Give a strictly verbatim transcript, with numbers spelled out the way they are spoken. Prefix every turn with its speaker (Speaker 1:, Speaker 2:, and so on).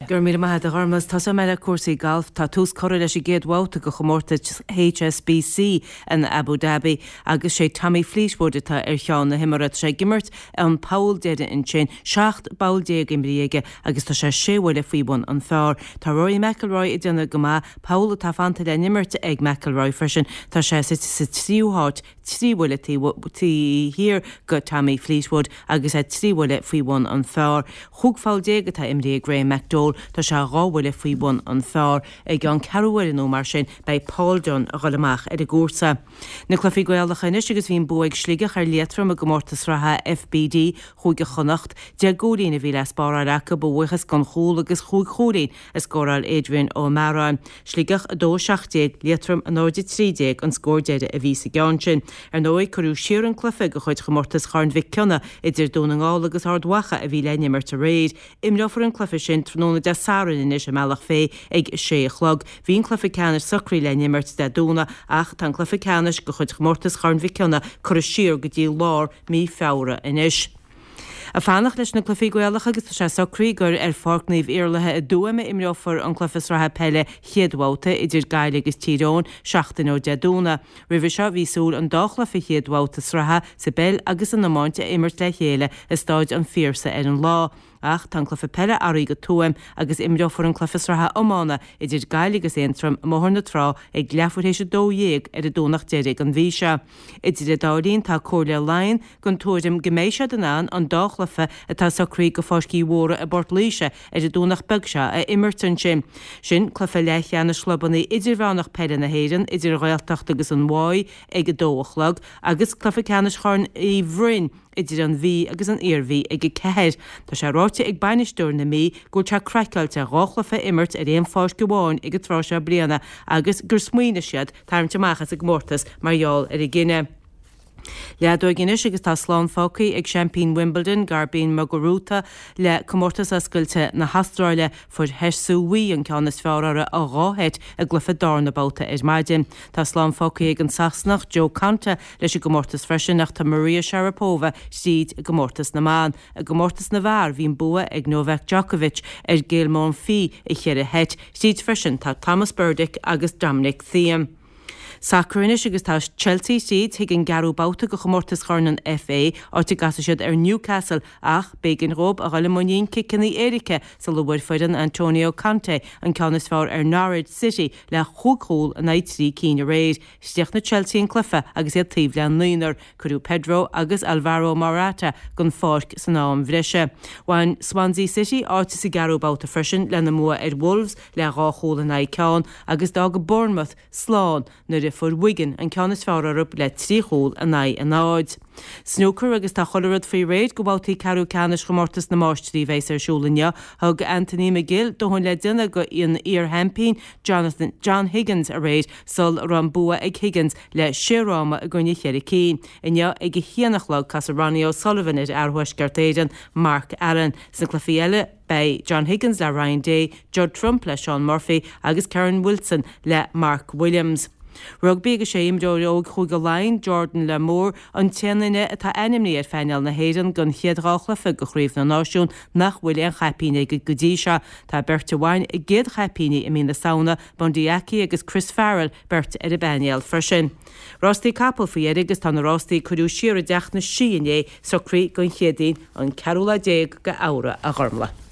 Speaker 1: Go raibh míle maith agat a Ghormfhlaith. Tosóidh mé le cúrsaí gailf. Tá tús curtha leis an gcéad bhabhta de chomórtas HSBC in Abu Dhabi agus sé Tommy Fleetwood atá ar cheann na himeartha. Tá sé ag imirt an poll deiridh ansin, seacht bpoll déag imrithe aige agus tá sé sé bhuille faoi bhun an phar. Tá Rory McIlroy ag déanamh go maith, poll atá fanta le n-imirt ag McIlroy freisin. Tá sé suite sa tríú háit, trí bhuille taobh thiar de Tommy Fleetwood agus é trí bhuille faoi bhun an phar. Chúig pholl déag atá imrithe ag Graham McDowell, tá sé dhá bhuille faoi bhun an phar. I gceann ceathrú uaire nó mar sin beidh Paul Dunne a dhul amach ar an gcúrsa. Na cluichí Gaelacha anois agus bhí an bua ag Sligeach ar Liatroim i gcomórtas sraithe FBD Chúige Chonnacht. Deich gcúilín a bhí le spáráil acu, a bhuíochas don chúl agus chúig chúilín a scóráil Adrian Ó Mearáin. Sligeach a dó a seacht déag, Liatroim a náid a trí déag an scór deiridh a bhí sa gceann sin. Ar ndóigh, cuireadh siar an cluiche de chuid chomórtas Chorn Mhic Cionnaith idir Dún na nGall agus Ard Mhacha a bhí le n-imirt aréir. Imreofar an cluiche sin tráthnóna Dé Sathairn anois i mBealach Féich ag a sé a chlog. Bhí an cluiche ceannais socraithe le n-imirt Dé Domhnaigh ach tá an cluiche ceannais de chuid chomórtas Chorn Mhic Cionnaith curtha siar go dtí lár mí Feabhra anois. Ag fanacht leis na cluichí Gaelacha agus tá sé socraithe gur ar Pháirc Naomh Iarlaithe i dTuaim a imreofar an cluiche sraithe peile chéad bhabhta idir Gaillimh agus Tír Eoghain seachtain ó Dé Domhnaigh. Roimhe seo bhí súil an dá chluiche chéad bhabhta sraithe sa bpeil agus san iomáint a imirt le chéile i Stáid an Phiarsaigh ar an lá. Ach tá an cluiche peile athraithe go Tuaim agus imreofar an cluiche sraithe iomána idir Gaillimh agus Aontroim i mBóthar na Trá ag leathuair théis a dó dhéag ar an Domhnach deiridh den mhí seo. Idir an dá linn tá Comhairle Laighean den tuairim go mbeidh siad in ann an dá chluiche atá socraithe go Pháirc Uí Mhórdha i bPort Laoise ar an Domhnach beag seo a imirt ansin. Sin cluiche leathcheannais chlubanna idirmheánach peile na hÉireann idir an Ghaeltacht agus an Mhaigh ag a dó a chlog agus cluiche ceannais Chorn Uí Bhroin idir an Mhí agus an Iarmhí ag a ceathair. Tá sé ráite ag bainisteoir na Mí go bhfuil sé craiceáilte dhá chluiche a imirt ar aon pháirc amháin ag an tráth seo bliana agus gur smaoinigh siad tarraingt amach as an gcomórtas mar gheall ar an gcinneadh. Leadóg anois agus tá slán fágtha ag seaimpín Wimbledon, Garbiñe Muguruza, le comórtas oscailte na hAstráile. Fuair Hsieh Su-wei an ceann is fearr uirthi i dhá sheit i gcluiche darna babhta ar maidin. Tá slán fágtha ag an Sasanach Jo Konta leis an gcomórtas freisin ach tá Maria Sharapova tríd i gcomórtas na mban. I gcomórtas na bhfear bhí an bua ag Novak Djokovic ar Gael Monfils i cheithre sheit. Tríd freisin tá Tomas Berdych agus Dominic Thiem. Sacar anois agus tá Chelsea tríd chuig an gceathrú babhta de chomórtas Chorn an FA, áit a gcasfaidh siad ar Newcastle ach b'éigean dhóibh a dhul i muinín ciceanna éirice sula bhfuair foireann Antonio Conte an ceann is fearr ar Norwich City le chúig chúl in aghaidh trí cinn aréir. Chríochnaigh Chelsea an cluiche agus iad taobh le naonúr. Cuireadh Pedro agus Alvaro Morata den pháirc san am bhreise. Bhain Swansea City áit sa gceathrú babhta freisin lena mbua ar Wolves le dhá chúl in aghaidh ceann agus d'fhág Bournemouth slán nuair a fuair Wigan an ceann is fearr orthu le trí chúl in aghaidh a náid. Snooker agus tá chuile rud faoi réir do bhabhtaí ceathrú ceannais chomórtas na Máistrí a bheas ar siúl inniu. Thug Anthony McGill dóthain le déanamh do an iar-sheaimpín Jonathan John Higgins aréir sul a raibh an bua ag Higgins le sé fhráma i gcoinne cheithre cinn. Inniu ag a haon a chlog casfaidh Ronnie O'Sullivan ar fhear Thuaisceart Éireann Mark Allen. Sna cluichí eile beidh John Higgins le Ryan Day, Judd Trump le Shaun Murphy agus Kyren Wilson le Mark Williams. Rugbaí agus sé imreoir óg Chúige Laighean, Jordan Larmour, an t-aon duine atá ainmnithe ar phainéal na hÉireann don chéad dhá chluiche de Chraobh na Náisiún nach bhfuil aon chaipín aige go dtí seo. Tá beirt a bhain a gcéad chaipíní i mí na Samhna, Bundee Aki agus Chris Farrell, beirt ar an bpainéal freisin. Rástaí capall faoi dheireadh agus tá na rástaí a cuireadh siar i dTeach na Sí inné socraithe don Chéadaoin an ceathrú lá déag de Fheabhra a Ghormfhlaith.